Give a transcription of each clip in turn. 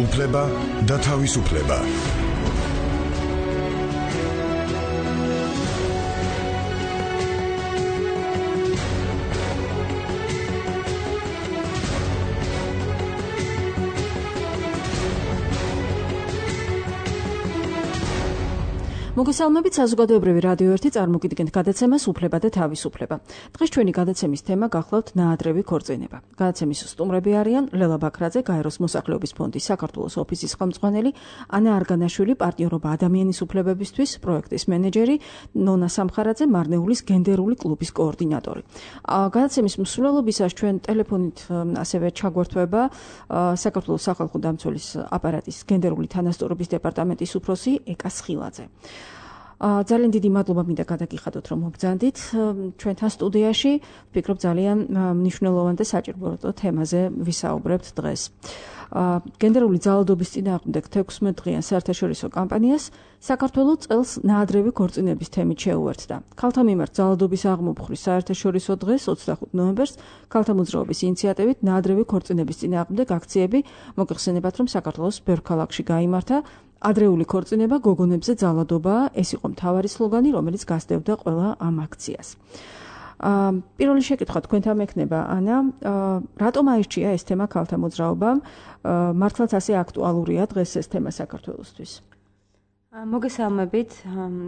უფლება და თავისუფლება. მოგესალმებით, საზოგადოებრივი რადიო 1 წარმოგიდგენთ გადაცემას უფლება და თავისუფლება. დღეს ჩვენი გადაცემის თემა გახლავთ ნაადრევი ქორწინება. გადაცემის სტუმრები არიან ლელა ბაქრაძე, გაეროს მოსახლეობის ფონდის საქართველოს ოფისის ხელმძღვანელი, ანა არგანაშვილი, პარტიორობა ადამიანის უფლებებისთვის პროექტის მენეჯერი, ნონა სამხარაძე, მარნეულის გენდერული კლუბის კოორდინატორი. გადაცემის მსვლელობისას ჩვენ ტელეფონით ასევე ჩაგვერთვება საქართველოს სახალხო დამცველის აპარატის გენდერული თანასწორობის დეპარტამენტის უფროსი ეკა სხილაძე. ძალიან დიდი მადლობა მინდა გადაგიხადოთ, რომ მობრძანდით ჩვენთან სტუდიაში. ვფიქრობ ძალიან მნიშვნელოვან და საჭირო თემაზე ვისაუბრებთ დღეს. გენდერული ძალადობის წინააღმდეგ 16 დღიან საერთაშორისო კამპანიას საქართველოს წელს ნაადრევი ქორწინების თემით შეუერთდა. ქალთა მიმართ ძალადობის აღმოფხვრის საერთაშორისო დღეს 25 ნოემბერს ქალთა მოძრაობის ინიციატივით ნაადრევი ქორწინების წინააღმდეგ აქციები მოგეხსენებათ, რომ საქართველოს ბევრ ქალაქში გაიმართა. ადრეული ქორწინება გოგონებზე ძალადობა, ეს იყო მთავარი სლოგანი, რომელიც გასდევდა ყველა ამ აქციას. პირველი შეკითხვა თქვენთან მექნება, ანა, რატომ აირჩია ეს თემა ქალთა მოძრაობამ? მართლაც ასე აქტუალურია დღეს ეს თემა საქართველოსთვის? მოგესალმებით.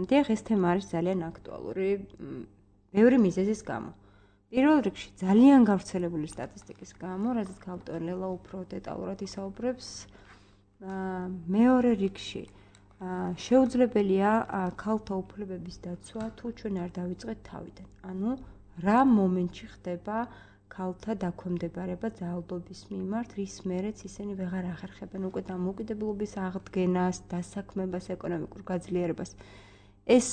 დიახ, ეს თემა არის ძალიან აქტუალური ბევრი მიზეზის გამო. პირველ რიგში ძალიან გავრცელებული სტატისტიკის გამო, რადგან გავტოვე ლელა უფრო დეტალურად ისაუბრებს. მეორე რიგში შეუძლებელია ქალთა უფლებების დაცვა თუ ჩვენ არ დავიწყეთ თავიდან. ანუ რა მომენტში ხდება ქალთა დაქვემდებარება ძალადობის მიმართ, რის მერეც ისინი ვეღარ ახერხებენ უკვე დამოუკიდებლობის აღდგენას, დასაქმებას, ეკონომიკურ გაძლიერებას. ეს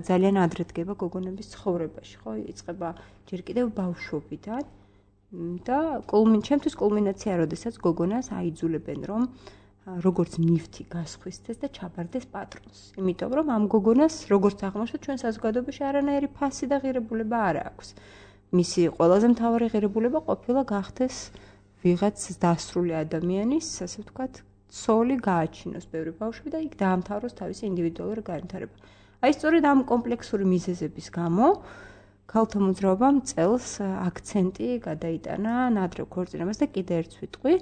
ძალიან ადრე დგება გოგონების ცხოვრებაში, ხო? იწყება ჯერ კიდევ ბავშვობიდან და ჩემთვის კულმინაცია, როდესაც გოგონას აიძულებენ, რომ როგორც ნივთი გასხვისდეს და ჩაბარდეს პატრონს. იმიტომ რომ ამ გოგონას, როგორც აღმოჩნდა ჩვენ საზოგადოებაში, არანაირი ფასი და ღირებულება არ აქვს. მისი ყველაზე მთავარი ღირებულება ყოფილა გახდეს ვიღაც დასრული ადამიანის, ასე ვთქვათ, ცოლი გააჩინოს ბევრი ბავშვი და იქ დაამთავროს თავისი ინდივიდუალური განვითარება. აი სწორედ ამ კომპლექსური მიზეზების გამო ქალთა მოძრაობამ წელს აქცენტი გადაიტანა ნაადრევ ქორწინებას და კიდე ერთ სიტყვი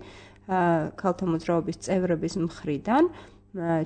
ქალთა მოძრაობის წევრების მხრიდან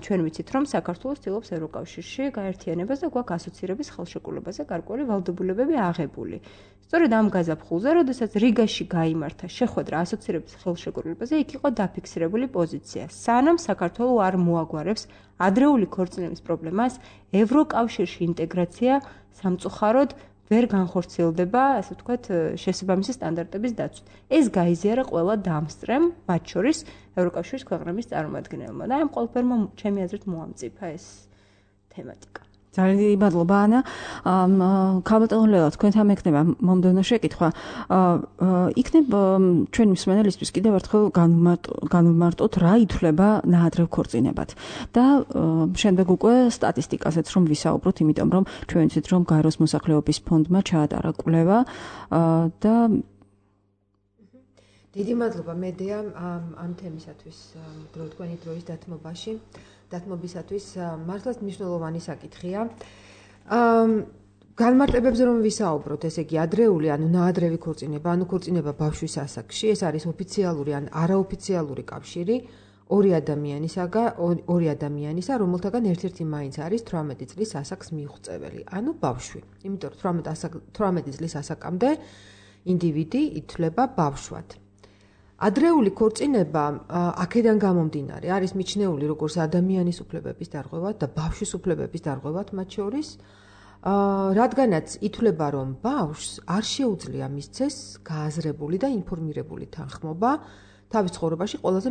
ჩვენ ვიცით, რომ საქართველოს ცდილობს ევროკავშირში გაერთიანებას და გვაქვს ასოცირების ხელშეკრულებაზე გარკვეული ვალდებულებები აღებული. სწორედ ამ გაზაფხულზე, როდესაც რიგაში გაიმართა შეხვედრა ასოცირების ხელშეკრულებაზე, იქ იყო დაფიქსირებული პოზიცია. სანამ საქართველო არ მოაგვარებს ადრეული ქორწინების პრობლემას, ევროკავშირში ინტეგრაცია სამწუხაროდ ვერ განხორციელდება, ასე ვთქვათ, შესაბამისი სტანდარტების დაცვით. ეს გაიზიარა ყველა დამსწრემ, მათ შორის ევროკავშირის ქვეყნების წარმომადგენლებმა და ამ ყველაფერმა ჩემი აზრით მოამწიფა ეს თემატიკა. ძალიან დიდი მადლობა, ანა. ქალბატონო ლელა, თქვენთან მექნება მომდევნო შეკითხვა. იქნებ ჩვენი მსმენელისთვის კიდევ ერთხელ განვმარტოთ, რა ითვლება ნაადრევ ქორწინებად. და შემდეგ უკვე სტატისტიკაზეც რომ ვისაუბროთ, იმიტომ რომ ჩვენ ვიცით, რომ გაეროს მოსახლეობის ფონდმა ჩაატარა კვლევა და დიდი მადლობა მედია ამ თემისათვის თქვენი დროის დათმობისათვის მართლაც მნიშვნელოვანი საკითხია. განმარტებებზე რომ ვისაუბროთ, ესე იგი ადრეული, ანუ ნაადრევი ქორწინება, ანუ ქორწინება ბავშვის ასაკში, ეს არის ოფიციალური ან არაოფიციალური კავშირი ორი ადამიანისა, რომელთაგან ერთ-ერთი მაინც არის 18 წლის ასაკს მიუღწეველი, ანუ ბავშვი. იმიტომ რომ 18 წლის ასაკამდე ინდივიდი ითვლება ბავშვად. ადრეული ქორწინება აქედან გამომდინარე არის მიჩნეული როგორც ადამიანის უფლებების დარღვევად და ბავშვის უფლებების დარღვევად მათ შორის, რადგანაც ითვლება, რომ ბავშვს არ შეუძლია მისცეს გააზრებული და ინფორმირებული თანხმობა თავის ცხოვრებაში ყველაზე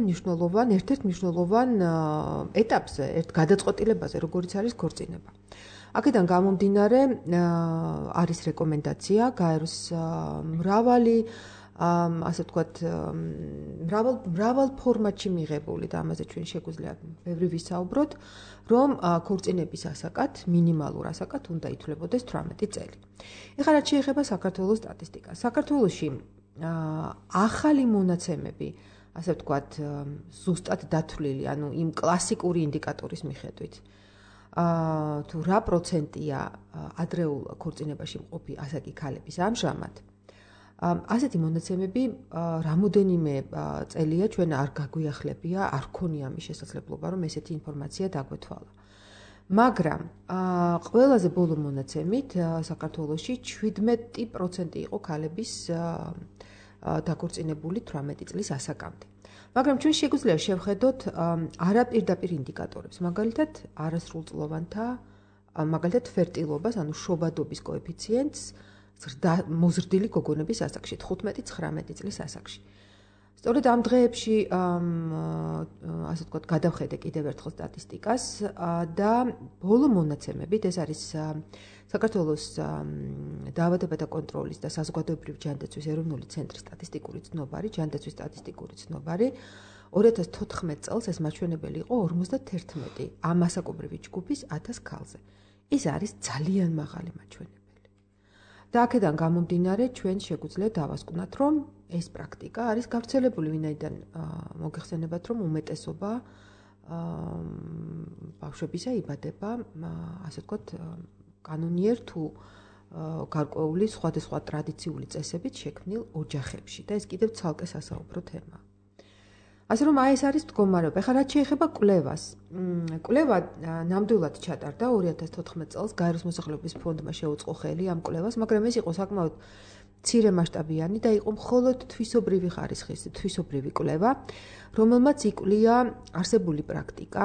ერთ-ერთ მნიშვნელოვან ეტაპზე, გადაწყვეტილებაზე, როგორიც არის ქორწინება. აქედან გამომდინარე არის რეკომენდაცია გაეროს მრავალი ასე ვთქვათ, მრავალ ფორმატში მიღებული და ამაზე ჩვენ შეგვიძლია ბევრი ვისაუბროთ, რომ ქორწინების ასაკად, მინიმალურ ასაკად უნდა ითვლებოდეს 18 წელი. ეხლა რაც შეეხება საქართველოს სტატისტიკას. საქართველოში ახალი მონაცემები ასე ვთქვათ, ზუსტად დათვლილი, ანუ იმ კლასიკური ინდიკატორის მიხედვით. თუ რა პროცენტია ადრეულ ქორწინებაში მყოფი ასაკი ქალების ამჟამად, ასეთი მონაცემები რამოდენიმე წელია ჩვენ არ გაგვიახლებია, არ ქონია ამის შესაძლებლობა, რომ ესეთი ინფორმაცია დაგვეთვალა. მაგრამ ყველაზე ბოლო მონაცემით საქართველოში 17% იყო ქალების დაქორწინებული 18 წლის ასაკამდე. მაგრამ ჩვენ შეგვიძლია შევხედოთ არაპირდაპირ ინდიკატორებს, მაგალითად არასრულწლოვანთა, მაგალითად ფერტილობას, ანუ შობადობის კოეფიციენტს მოზრდილი გოგონების ასაკში, 15-19 წლის ასაკში. სწორედ ამ დღეებში ასე ვთქვათ, გადავხედე კიდევ ერთხელ სტატისტიკას და ბოლო მონაცემებით, ეს არის საქართველოს დაავადებათა კონტროლის და საზოგადოებრივი ჯანდაცვის ეროვნული ცენტრის სტატისტიკური ცნობარი, ჯანდაცვის სტატისტიკური ცნობარი, 2014 წელს ეს მაჩვენებელი იყო 51 ამ ასაკობრივი ჯგუფის 1000 ქალზე. ეს არის ძალიან მაღალი მაჩვენებელი. და აქედან გამომდინარე, ჩვენ შეგვიძლია დავასკვნათ, რომ ეს პრაქტიკა არის გავრცელებული, ვინაიდან მოგეხსენებათ, რომ უმეტესობა ბავშვებისა იბადება, ასე ვთქვათ, კანონიერ თუ გარკვეული სხვადასხვა ტრადიციული წესებით შექმნილ ოჯახებში და ეს კიდევ ცალკე სასაუბრო თემაა. ასე რომ ეს არის მდგომარეობა. ეხლა რაც შეეხება კვლევას. კვლევა ნამდვილად ჩატარდა 2014 წელს გაეროს მოსახლეობის ფონდმა შეუწყო ხელი ამ კვლევას, მაგრამ ეს იყო საკმაოდ მცირე მასშტაბიანი და იყო მხოლოდ თვისობრივი ხარისხის, თვისობრივი კვლევა, რომელმაც იკვლია არსებული პრაქტიკა,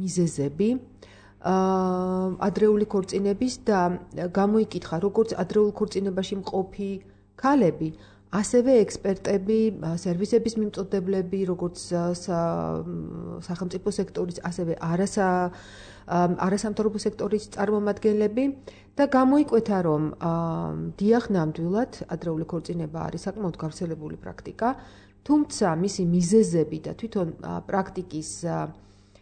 მიზეზები, ადრეული ქორწინების და გამოიკითხა, როგორც ადრეულ ქორწინებაში მყოფი ქალები, ასევე ექსპერტები, სერვისების მიმწოდებლები, როგორც სახელმწიფო სექტორის, ასევე არასამთავრობო სექტორის წარმომადგენლები და გამოიკვეთა, რომ დიახ, ნამდვილად ადრეული ქორწინება არის საკმაოდ გავრცელებული პრაქტიკა, თუმცა მისი მიზეზები და თვითონ პრაქტიკის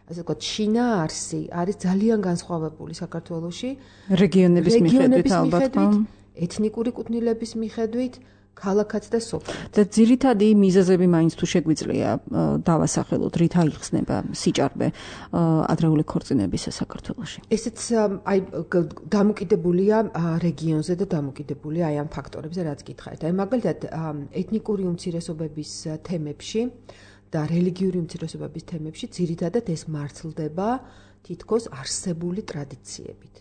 ასე ვთქვათ, შინაარსი არის ძალიან განსხვავებული საქართველოში რეგიონების მიხედვით ალბათ, ეთნიკური კუთვნილების მიხედვით, ქალაქად და სოფლად. და ძირითადი მიზეზები მაინც თუ შეგვიძლია დავასახელოთ, რით აიხსნება სიჭარბე ადრეული ქორწინებისა საქართველოში. ესეც აი დამოკიდებულია რეგიონზე და დამოკიდებულია აი ამ ფაქტორებზე, რაც გითხარით. აი მაგალითად ეთნიკური უმცირესობების თემებში და რელიგიური უმცირესობების თემებში ძირითადად ეს მართლდება თითქოს არსებული ტრადიციებით.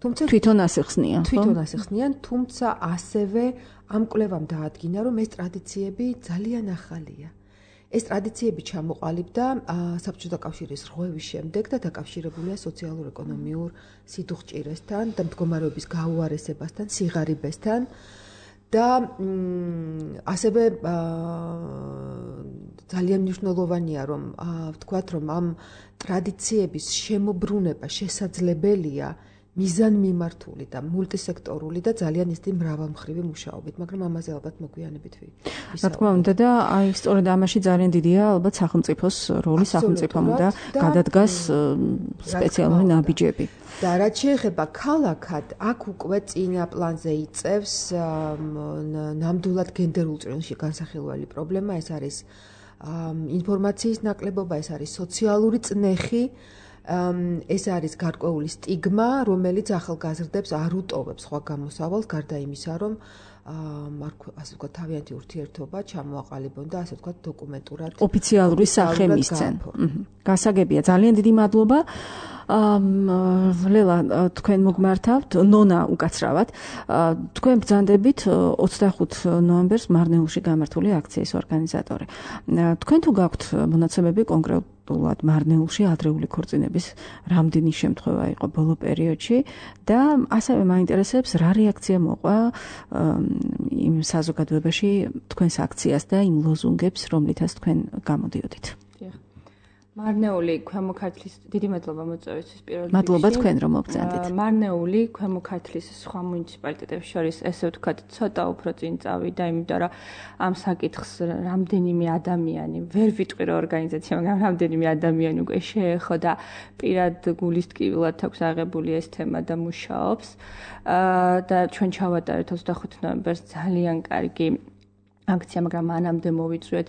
თუმცა თვითონ ასე ხსნიან, თვითონ ასე ხსნიან, თუმცა ასევე ამ კვლევამ დაადგინა, რომ ეს ტრადიციები ძალიან ახალია. ეს ტრადიციები ჩამოყალიბდა საბჭოთა კავშირის რღვევის შემდეგ და დაკავშირებულია სოციალურ-ეკონომიურ სიდუხჭირესთან და მდგომარეობის გაუარესებასთან, სიღარიბესთან და ასევე ძალიან მნიშვნელოვანია, რომ ვთქვათ, რომ ამ ტრადიციების შემოbrunება შესაძლებელია მიზანმიმართული და მულტისექტორული და ძალიან ისეთი მრავალმხრივი მუშაობით, მაგრამ ამაზე ალბათ მოგვიანებით რა თქმა უნდა და აი სწორედ ამაში ძალიან დიდია ალბათ სახელმწიფოს როლი, სახელმწიფომ და გადადგას სპეციალური ნაბიჯები. და რაც შეეხება ქალაქად, აქ უკვე წინა პლანზე იწევს ნამდვილად გენდერულ წრეში განსახილველი პრობლემა, ეს არის ინფორმაციის ნაკლებობა, ეს არის სოციალური წნეხი, ეს არის გარკვეული სტიგმა, რომელიც ახალგაზრდებს არ უტოვებს სხვა გამოსავალს, გარდა იმისა, რომ ასე ვთქვათ, თავიანთი ურთიერთობა ჩამოაყალიბონ და ასე ვთქვათ, დოკუმენტურად ოფიციალური სახე მისცენ. გასაგებია, ძალიან დიდი მადლობა. ლელა, თქვენ მოგმართავთ, ნონა უკაცრავად. თქვენ ბრძანდებით 25 ნოემბერს მარნეულში გამართული აქციის ორგანიზატორი. თქვენ თუ გაქვთ მონაცემები კონკრეტულად მარნეულში ადრეული ქორწინების რამდენი შემთხვევა იყო ბოლო პერიოდში და ასევე მაინტერესებს რა რეაქცია მოყვა იმ საზოგადოებაში თქვენს აქციას და იმ ლოზუნგებს, რომლითაც თქვენ გამოდიოდით. მარნეული ქვემო ქართლის დიდი მადლობა მოწვევისთვის პირველ რიგში. მადლობა თქვენ რომ მოგწანდით. მარნეული ქვემო ქართლის სხვა მუნიციპალიტეტებს შორის ესე ვთქვათ ცოტა უფრო წინ წავიდა, იმიტომ რომ ამ საკითხს რამდენიმე ადამიანი, ვერ ვიტყვი რომ ორგანიზაცია, მაგრამ რამდენიმე ადამიანი უკვე შეეხო და პირად გულის ტკივილად აქვს აღებული ეს თემა და მუშაობს. და ჩვენ ჩავატარეთ 25 ნოემბერს ძალიან კარგი აქცია, მაგრამ მანამდე მოვიწვიეთ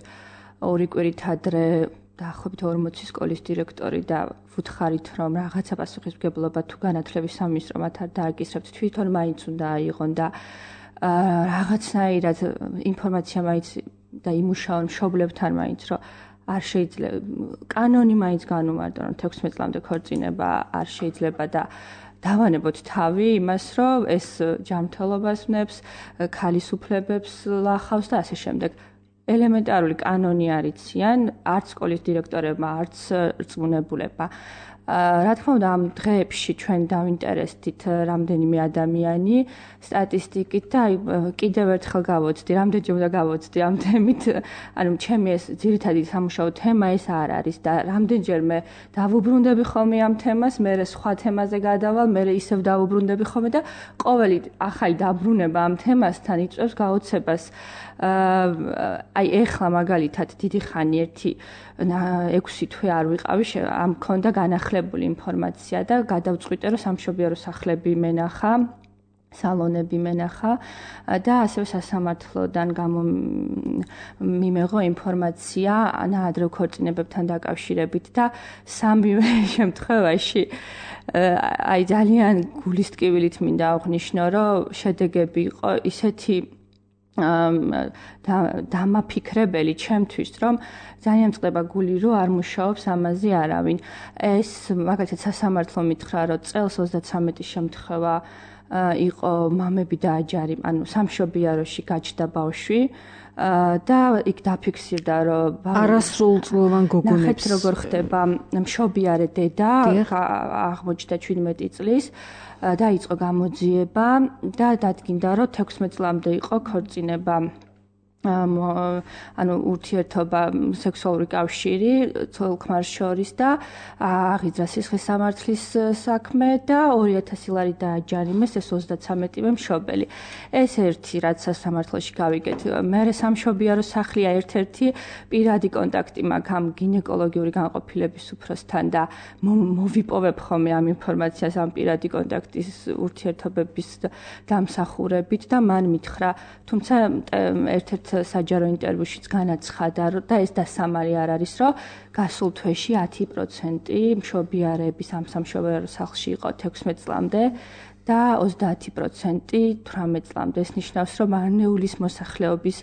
ორი კვირით ადრე დაახლოებით 40 სკოლის დირექტორი და ვუთხარით, რომ რაღაცა პასუხისმგებლობა თუ განათლების სამინისტრო მათ არ დააკისრებთ, თვითონ მაინც უნდა აიღონ და რაღაცნაირად ინფორმაცია მაინც და იმუშაონ მშობლებთან მაინც, რომ არ შეიძლება კანონი მაინც განუმარტონ, რომ 16 წლამდე ქორწინება არ შეიძლება და დავანებოთ თავი იმას, რომ ეს ჯანმრთელობას ვნებს, ქალის უფლებებს ლახავს და ასე შემდეგ. ელემენტარული კანონი არ იციან, არც სკოლის დირექტორებმა, არც რწმუნებულებმა. რა თქმა უნდა, ამ დღეებში ჩვენ დავინტერესდით რამდენიმე ადამიანი სტატისტიკით და კიდევ ერთხელ გავოცდი, რამდენჯერ უნდა გავოცდი ამ თემით, ანუ ჩემი ეს ძირითადი სამუშაო თემა ეს არ არის და რამდენჯერმე დავუბრუნდები ხოლმე ამ თემას, მე სხვა თემაზე გადავალ, მე ისევ დავუბრუნდები ხოლმე და ყოველი ახალი დაბრუნება ამ თემასთან იწვევს გაოცებას. აი ეხლა მაგალითად დიდი ხანი 6 თვე არ ვიყავი, ამ მქონდა განახლებული ინფორმაცია და გადავწყვიტე, რომ სამშობიარო სახლები მენახა, სალონები მენახა და ასევე სასამართლოდან მიმეღო ინფორმაცია ნაადრევ ქორწინებებთან დაკავშირებით და სამივე შემთხვევაში აი ძალიან გულისტკივილით მინდა აღვნიშნო, რომ შედეგები იყო ისეთი დამაფიქრებელი ჩემთვის, რომ ძალიან წყდება გული, რომ არ მუშაობს ამაზე არავინ. ეს მაგალითად სასამართლო მითხრა, რომ წელს 33 შემთხვევა იყო მამები და აჯარი, ანუ სამშობიაროში გაჩნდა ბავშვი და იქ დაფიქსირდა, რომ არასრულწლოვან გოგონებს ნახეთ როგორ ხდება მშობიარე დედა, აღმოჩნდა 17 წლის დაიწყო გამოძიება და დადგინდა, რომ 16 წლამდე იყო ქორწინება, ანუ ურთიერთობა სექსუალური კავშირი ცოლ-ქმარს შორის და აღიძრა სისხლის სამართლის საქმე და 2000 ლარი დააჯარიმეს ეს 33-ვე მშობელი. ეს ერთი რაც სასამართლოში გავიგეთ. მერე სამშობიარო სახლია ერთ-ერთი პირადი კონტაქტი მაქვს ამ გინეკოლოგიური განყოფილების უფროსთან და მოვიპოვებ ხოლმე ამ ინფორმაციას ამ პირადი კონტაქტის ურთიერთობების დამსახურებით და მან მითხრა, თუმცა ერთ-ერთ საჯარო ინტერვიუშიც განაცხადა და ეს დასამალი არ არის, რომ გასულ თვეში 10% მშობიარების ამ სამშობიარო სახლში იყო 16 წლამდე და 30% 18 წლამდე. ეს ნიშნავს, რომ მარნეულის მოსახლეობის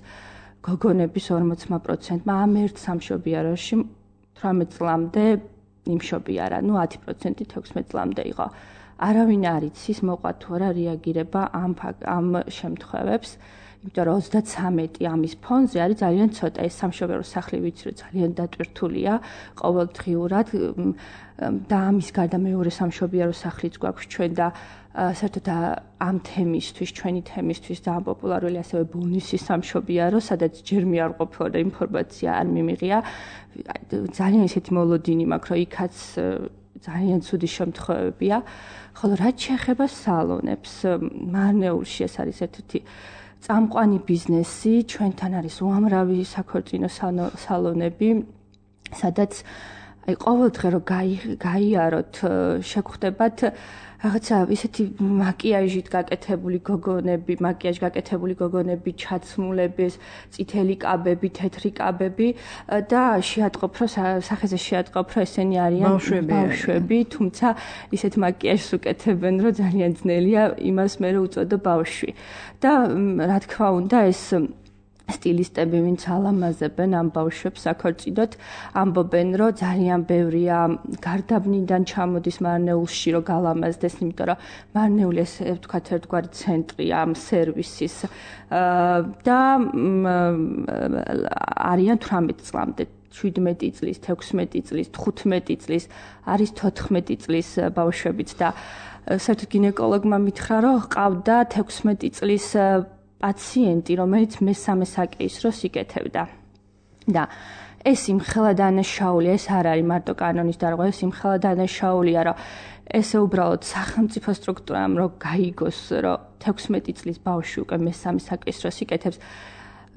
გოგონების 40%-მა ამ ერთ სამშობიაროში 18 წლამდე იმშობიარა, ну 10% 16 წლამდე იყო. არავინ არ იცის მოყვა თუ არა რეაგირება ამ შემთხვევებს. იმიტომ რომ 33 ამის ფონზე არის ძალიან ცოტა. ეს სამშობიარო სახლი ვიცი, რომ ძალიან დატვირთულია ყოველდღიურად და ამის გარდა მეორე სამშობიარო სახლიც გვაქვს ჩვენ და საერთოდ ამ თემისთვის, ჩვენი თემისთვის და ამ პოპულარული ასევე ბონუსის სამშობიარო, სადაც ჯერმე არ ყოფილა და ინფორმაცია არ მიმიღია. ძალიან ისეთი მოლოდინი მაქვს, რომ იქაც ძალიან ცუდი შემთხვევებია. ხოლო რაც შეეხება სალონებს, მარნეულში ეს არის ერთ-ერთი წამყვანი ბიზნესი, ჩვენთან არის უამრავი საქორწინო სალონები, სადაც აი ყოველდღე რომ გაიაროთ, შეგხვდებათ რაღაცა ისეთი მაკიაჟით გაკეთებული გოგონები, ჩაცმულების, წითელი კაბები, თეთრი კაბები და შეატყობ, სახეზე შეატყობ, ესენი არიან ბავშვები, თუმცა ისეთ მაკიაჟს უკეთებენ, რომ ძალიან ძნელია იმას მე უწოდო ბავშვი. და რა თქმა უნდა ეს სტილისტები, ვინც ალამაზებენ ამ ბავშვებს საქორწინოდ, ამბობენ, რომ ძალიან ბევრია გარდაბნიდან ჩამოდის მარნეულში, რომ გალამაზდეს, იმიტომ რომ მარნეული ესე ვთქვათ ერთგვარი ცენტრია ამ სერვისის და არიან 18 წლამდე. 17 წლის, 16 წლის, 15 წლის, არის 14 წლის ბავშვებიც და საერთოდ გინეკოლოგმა მითხრა, რომ ყავდა 16 წლის პაციენტი, რომელიც მესამე საკეისროს იკეთებდა. და ეს იმხელა დანაშაულია, ეს არ არის მარტო კანონის დარღვევა, ეს იმხელა დანაშაულია, რომ ესე უბრალოდ სახელმწიფო სტრუქტურამ რომ გაიგოს, რომ 16 წლის ბავშვი უკვე მესამე საკეისროს იკეთებს,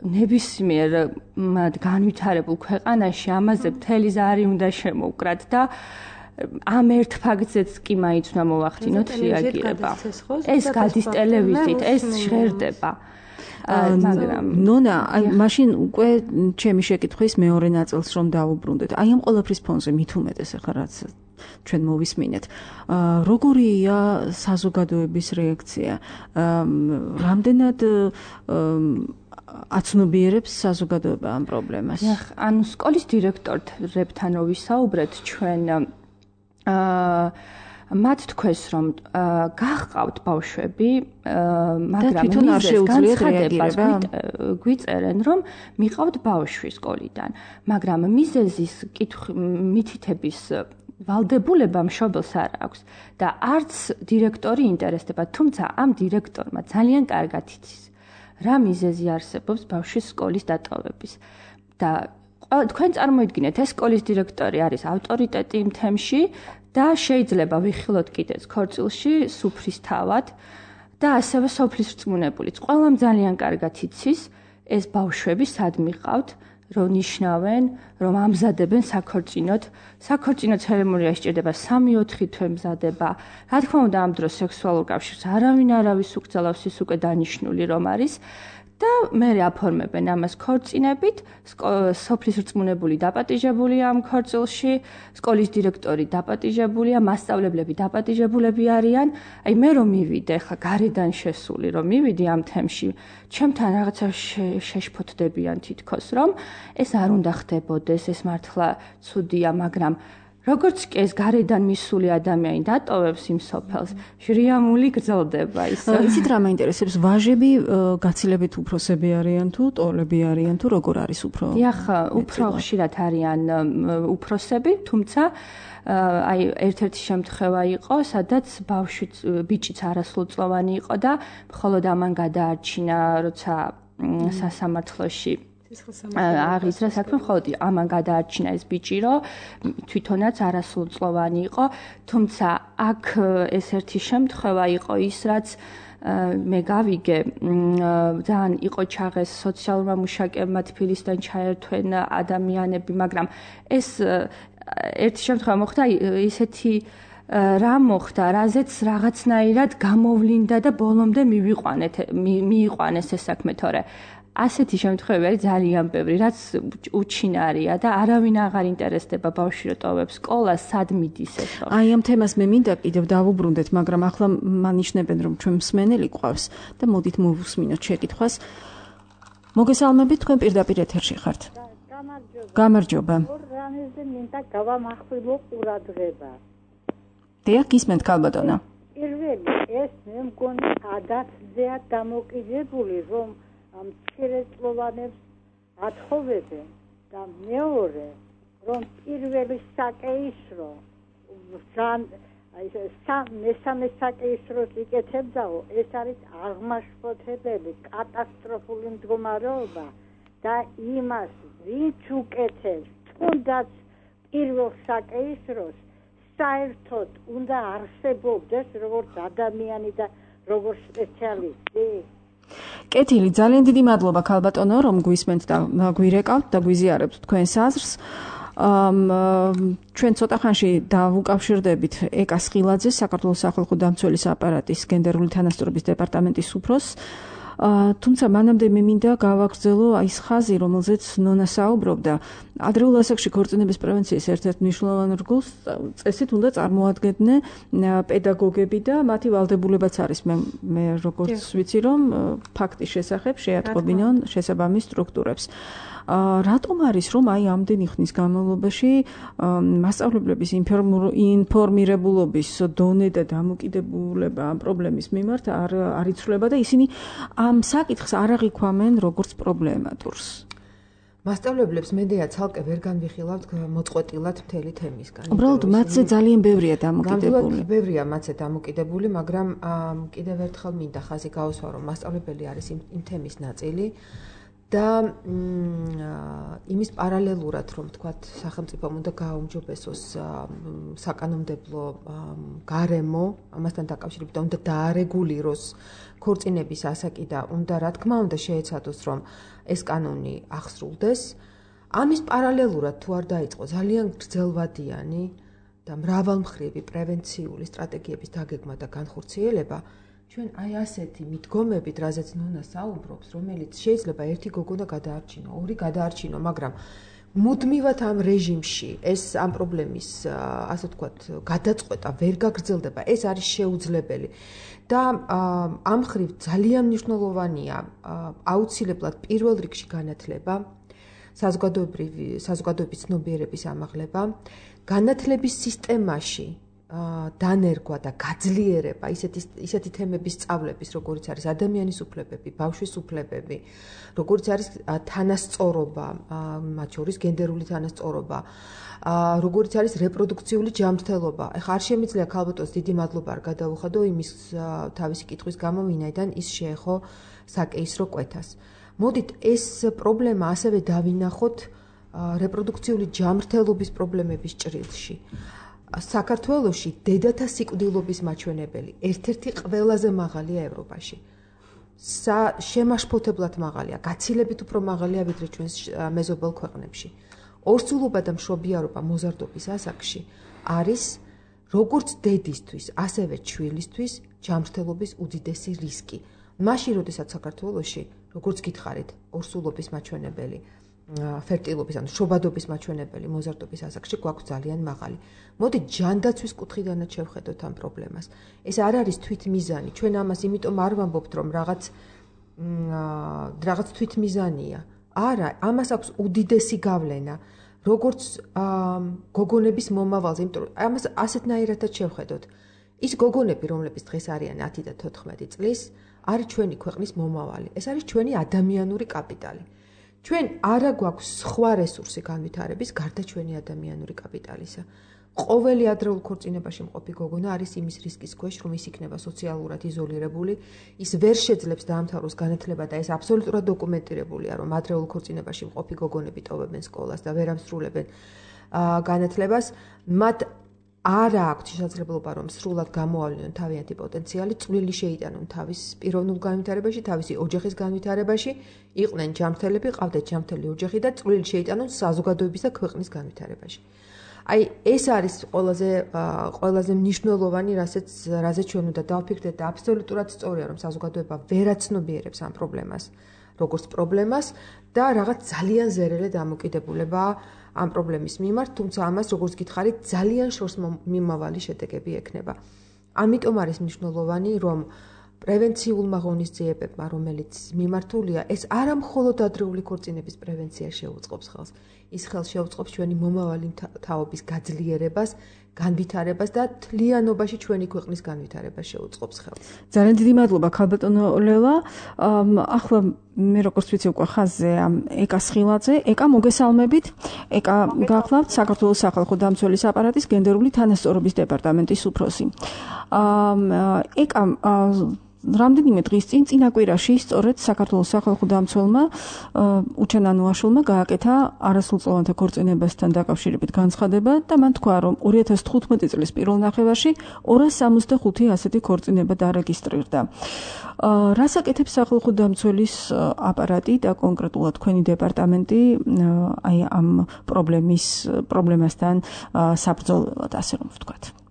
ნებისმიერ განვითარებულ ქვეყანაში ამაზე მთელი ზარი უნდა შემოუკრათ და ამ ერთ ფაქტზეც კი მაინც უნდა მოვახდინოთ რეაგირება. ეს გადის ტელევიზიით, ეს ჟღერდება. მაგრამ ნონა, აი მაშინ უკვე ჩემი შეკითხვის მეორე ნაწილს რომ დავუბრუნდეთ. აი ამ ყველაფრის ფონზე მით უმეტეს ახლა რაც ჩვენ მოვისმინეთ. როგორია საზოგადოების რეაქცია? რამდენად აცნობიერებს საზოგადოება ამ პრობლემას? ანუ სკოლის დირექტორებთან რო ვისაუბრეთ ჩვენ მათ თქვეს რომ გახყავთ ბავშვები, მაგრამ თვითონ არ შეუძლიათ რეაგირება. გვიწერენ რომ მიყავთ ბავშვი სკოლიდან, მაგრამ მიზეზის მითითების ვალდებულება მშობელს არ აქვს და არც დირექტორი ინტერესდება, თუმცა ამ დირექტორმა ძალიან კარგად იცის რა მიზეზი არსებობს ბავშვის სკოლის დატოვების და თქვენ წარმოიდგინეთ ეს სკოლის დირექტორი არის ავტორიტეტი იმ თემში და შეიძლება ვიხილოთ კიდეც ქორწილში სუფრის თავად და ასევე სოფლის რწმუნებულიც. ყველამ ძალიან კარგად იცის ეს ბავშვები სად მიყავთ, რომ ნიშნავენ, რომ ამზადებენ საქორწინოდ. საქორწინო ცერემონია სჭირდება 3-4 თვე მზადება. რა თქმა უნდა, ამ დროს სექსუალურ კავშირს არავის უკრძალავს, ის უკვე დანიშნული რომ არის. და მე აფორმებენ ამას ქორწინებით, სოფლის რწმუნებული დაპატიჟებულია ამ ქორწილში, სკოლის დირექტორი დაპატიჟებულია, მასწავლებლები დაპატიჟებულები არიან. აი მე რომ მივიდე, ხა გარედან შესული რომ მივიდი ამ თემში, ჩემთან რაღაცა შეშფოთდებიან თითქოს, რომ ეს არ უნდა ხდებოდეს, ეს მართლა ცუდია, მაგრამ როგორც კი ეს გარედან მისული ადამიანი დატოვებს იმ სოფელს, შრიამული გრძელდება ის. იცით რა მაინტერესებს, ვაჟები გაცილებით უფროსები არიან თუ ტოლები არიან თუ როგორ არის უფრო? დიახ, უფრო ხშირად არიან უფროსები, თუმცა აი ერთ-ერთი შემთხვევა იყო, სადაც ბიჭიც არასრულწლოვანი იყო და მხოლოდ ამან გადაარჩინა, როცა სასამართლოში აღიზრდა საქმე, მხოლოდ ამან გადაარჩინა ეს ბიჭი, რომ თვითონაც არასრულწლოვანი იყო, თუმცა აქ ეს ერთი შემთხვევა იყო ის, რაც მე გავიგე, ძალიან იყო ჩაღეს სოციალურმა მუშაკებმა თბილისიდან ჩაერთვენ ადამიანები, მაგრამ ეს ერთი შემთხვევა მოხდა ისეთი რა მოხდა, რაზეც რაღაცნაირად გამოვლინდა და ბოლომდე მიიყვანეს ეს საქმე, თორე ასეთი შემთხვევები არის ძალიან ბევრი, რაც უჩინარია და არავინ აღარ ინტერესდება ბავშვი რო ტოვებს სკოლას, სად მიდის ეს. აი ამ თემას მე მინდა კიდევ დავუბრუნდეთ, მაგრამ ახლა მანიშნებენ რომ ჩვენ მსმენელი ყავს და მოდით მოვუსმინოთ შეკითხვას. მოგესალმებით, თქვენ პირდაპირ ეთერში ხართ. გამარჯობა. რამეზე მინდა გავამახვილო ყურადღება. დიახ, გისმენთ ქალბატონო. პირველი ეს მე მგონი ადათზეა დამოკიდებული, რომ ამ მცირეწლოვანებს ათხოვებენ და მეორე რომ პირველი საკეისრო მესამე საკეისროს იკეთებდაო, ეს არის აღმაშფოთებელი კატასტროფული მდგომარეობა და იმას ვინც უკეთებს თუნდაც პირველ საკეისროს საერთოდ უნდა არსებობდეს როგორც ადამიანი და როგორც სპეციალისტი. კეთილი, ძალიან დიდი მადლობა ქალბატონო, რომ გვისმენთ და გვირეკავთ და გვიზიარებთ თქვენს აზრს. ჩვენ ცოტა ხანში დავუკავშირდებით ეკა სხილაძეს, საქართველოს სახალხო დამცველის აპარატის გენდერული თანასწორობის დეპარტამენტის უფროსს. თუმცა მანამდე მე მინდა გავაგრძელო ის ხაზი, რომელზეც ნონა საუბრობდა. ადრეულ ასაკში ქორწინების პრევენციის ერთ-ერთ მნიშვნელოვან რგოლს წესით უნდა წარმოადგენდნენ პედაგოგები და მათი ვალდებულებაც არის მე როგორც ვიცი რომ ფაქტის შესახებ შეატყობინონ შესაბამის სტრუქტურებს. რატომ არის რომ აი ამდენი ხნის განმავლობაში მასწავლებლების ინფორმირებულობის დონე და დამოკიდებულება ამ პრობლემის მიმართ არ იცვლება და ისინი ამ საკითხს არ აღიქვამენ როგორც პრობლემატურს? მასწავლებლებს მედია ცალკე ვერ განვიხილავთ მოწყვეტილად მთელი თემისგან. უბრალოდ მათზე ძალიან ბევრია დამოკიდებული. ბევრია მათზე დამოკიდებული, მაგრამ კიდევ ერთხელ მინდა ხაზი გაუსვა, რომ მასწავლებელი არის იმ თემის ნაწილი და იმის პარალელურად, რომ თქვათ, სახელმწიფომ უნდა გააუმჯობესოს საკანონმდებლო გარემო, ამასთან დაკავშირებით უნდა დაარეგულიროს ქორწინების ასაკი და უნდა, რა თქმა უნდა, შეეცადოს, რომ ეს კანონი აღსრულდეს. ამის პარალელურად თუ არ დაიწყო ძალიან გრძელვადიანი და მრავალმხრივი პრევენციული სტრატეგიების დაგეგმა და განხორციელება, ჩვენ აი ასეთი მიდგომებით, რაზეც ნონა საუბრობს, რომელიც შეიძლება ერთი გოგონა გადაარჩინო, ორი გადაარჩინო, მაგრამ მუდმივად ამ რეჟიმში ეს ამ პრობლემის, ასე ვთქვათ, გადაწყვეტა ვერ გაგრძელდება, ეს არის შეუძლებელი. და ამ ხრივ ძალიან მნიშვნელოვანია აუცილებლად პირველ რიგში განათლება, საზოგადოების ცნობიერების ამაღლება, განათლების სისტემაში დანერგვა და გაძლიერება ისეთი თემების სწავლების, როგორიც არის ადამიანის უფლებები, ბავშვის უფლებები, როგორიც არის თანასწორობა, მათ შორის გენდერული თანასწორობა, როგორიც არის რეპროდუქციული ჯანმრთელობა. ეხლა არ შემიძლია ქალბატონს დიდი მადლობა არ გადაუხადო იმის თავისი კითხვის გამო, ვინაიდან ის შეეხო საკეისრო კვეთას. მოდით ეს პრობლემა ასევე დავინახოთ რეპროდუქციული ჯანმრთელობის პრობლემების ჭრილში. საქართველოში დედათა სიკვდილობის მაჩვენებელი ერთ-ერთი ყველაზე მაღალია ევროპაში. შემაშფოთებლად მაღალია, გაცილებით უფრო მაღალია ვიდრე ჩვენს მეზობელ ქვეყნებში. ორსულობა და მშობიარობა მოზარდობის ასაკში არის როგორც დედისთვის, ასევე ჩვილისთვის ჯანმრთელობის უდიდესი რისკი. მაშინ, როდესაც საქართველოში, როგორც გითხარით, ორსულობის მაჩვენებელი, ფერტილობის, ანუ შობადობის მაჩვენებელი მოზარდობის ასაკში გვაქვს ძალიან მაღალი. მოდით ჯანდაცვის კუთხიდანაც შევხედოთ ამ პრობლემას. ეს არ არის თვითმიზანი. ჩვენ ამას იმიტომ არ ვამბობთ, რომ რაღაც თვითმიზანია. არა, ამას აქვს უდიდესი გავლენა, როგორც გოგონების მომავალზე, იმიტომ რომ ამას ასეთნაირადაც შევხედოთ. ის გოგონები, რომლებიც დღეს არიან 10 და 14 წლის, არის ჩვენი ქვეყნის მომავალი. ეს არის ჩვენი ადამიანური კაპიტალი. ჩვენ არა გვაქვს სხვა რესურსი განვითარების გარდა ჩვენი ადამიანური კაპიტალისა. ყოველი ადრეულ ქორწინებაში მყოფი გოგონა არის იმის რისკის ქვეშ, რომ ის იქნება სოციალურად იზოლირებული, ის ვერ შეძლებს დაამთავროს განათლება და ეს აბსოლუტურად დოკუმენტირებულია, რომ ადრეულ ქორწინებაში მყოფი გოგონები ტოვებენ სკოლას და ვერ ამსრულებენ განათლებას, მათ არა აქვთ შესაძლებლობა, რომ სრულად გამოავლინონ თავიანთი პოტენციალი, წვლილი შეიტანონ თავის პიროვნულ განვითარებაში, თავისი ოჯახის განვითარებაში, იყვნენ ჯანმრთელები, ყავდათ ჯანმრთელი ოჯახი და წვლილი შეიტანონ საზოგადოების და ქვეყნის განვითარებაში. აი, ეს არის ყველაზე მნიშვნელოვანი, რაზეც ჩვენ უნდა დავფიქრდეთ და აბსოლუტურად სწორია, რომ საზოგადოება ვერ აცნობიერებს ამ პრობლემას, როგორც პრობლემას და რაღაც ძალიან ზერელე დამოკიდებულება ამ პრობლემის მიმართ, თუმცა ამას, როგორც გითხარით, ძალიან შორს მიმავალი შედეგები ექნება. ამიტომ არის მნიშვნელოვანი, რომ პრევენციულმა ღონისძიებებმა, რომელიც მიმართულია, ეს არა მხოლოდ ადრეული ქორწინების პრევენციას შეუწყობს ხელს, ის ხელს შეუწყობს ჩვენი მომავალი თაობის გაძლიერებას, განვითარებას და თლიანობაში ჩვენი ქვეყნის განვითარებას შეუწყობს ხელს. ძალიან დიდი მადლობა ქალბატონო ლელა. ახლა მე როგორც ვიცი უკვე ხაზზე ეკა სხილაძე, ეკა მოგესალმებით. ეკა გახლავთ საქართველოს სახალხო დამცველის აპარატის გენდერული თანასწორობის დეპარტამენტის უფროსი. ეკა რამდენიმე დღის წინ წინაკვირაში სწორედ საქართველოს სახალხო დამცველმა უჩანანუაშვილმა გააკეთა არასრულწლოვანთა ქორწინებასთან დაკავშირებით განცხადება და მან თქვა, რომ 2015 წლის პირველ ნახევარში 265 ასეთი ქორწინება დარეგისტრირდა. რას აკეთებს სახალხო დამცველის აპარატი და კონკრეტულად თქვენი დეპარტამენტი აი ამ პრობლემასთან საბრძოლველად, ასე რომ ვთქვათ?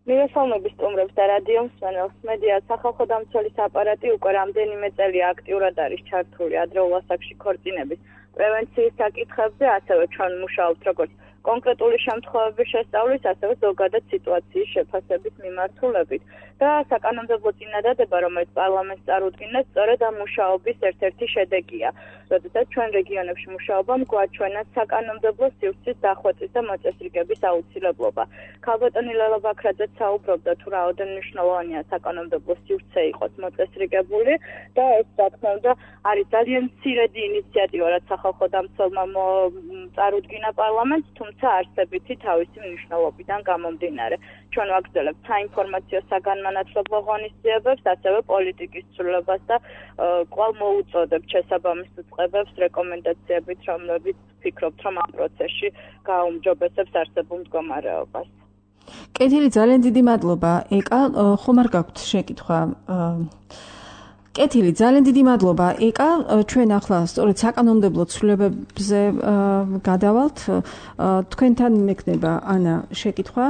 მივესალმები სტუმრებს და რადიო მსმენელს. მედია სახალხო დამცველის აპარატი უკვე რამდენიმე წელია აქტიურად არის ჩართული ადრეულ ასაკში ქორწინების პრევენციის საკითხებზე, ასევე ჩვენ მუშაობთ როგორც კონკრეტული შემთხვევების შესწავლის, ასევე ზოგადად სიტუაციის შეფასების მიმართულებით. და საკანონმდებლო წინადადება, რომელიც პარლამენტს წარუდგინეს, სწორედ ამ მუშაობის ერთ-ერთი შედეგია. როდესაც ჩვენ რეგიონებში მუშაობამ გვაჩვენა საკანონმდებლო სივრცის დახვეწის და მოწესრიგების აუცილებლობა. ქალბატონი ლელა ბაქრაძეც საუბრობდა, თუ რაოდენ მნიშვნელოვანია საკანონმდებლო სივრცე იყოს მოწესრიგებული და ეს, რა თქმა უნდა, არის ძალიან მცირედი ინიციატივა, რაც სახალხო დამცველმა წარუდგინა პარლამენტს, თუმცა არსებითი თავისი მნიშვნელობიდან გამომდინარე. ჩვენ ვაგრძელებთ საინფორმაციო საგანმანათლებლო ღონისძიებებს, ასევე პოლიტიკის ცვლილებას და კვლავ მოუწოდებთ შესაბამის უწყებებს რეკომენდაციებით, რომლებიც ვფიქრობთ, რომ ამ პროცესში გააუმჯობესებს არსებულ მდგომარეობას. კეთილი, ძალიან დიდი მადლობა. ეკა, ხომ არ გაქვთ შეკითხვა კეთილი, ძალიან დიდი მადლობა. ეკა, ჩვენ ახლა სწორედ საკანონმდებლო ცვლილებებზე გადავალთ. თქვენთან მექნება ანა შეკითხვა.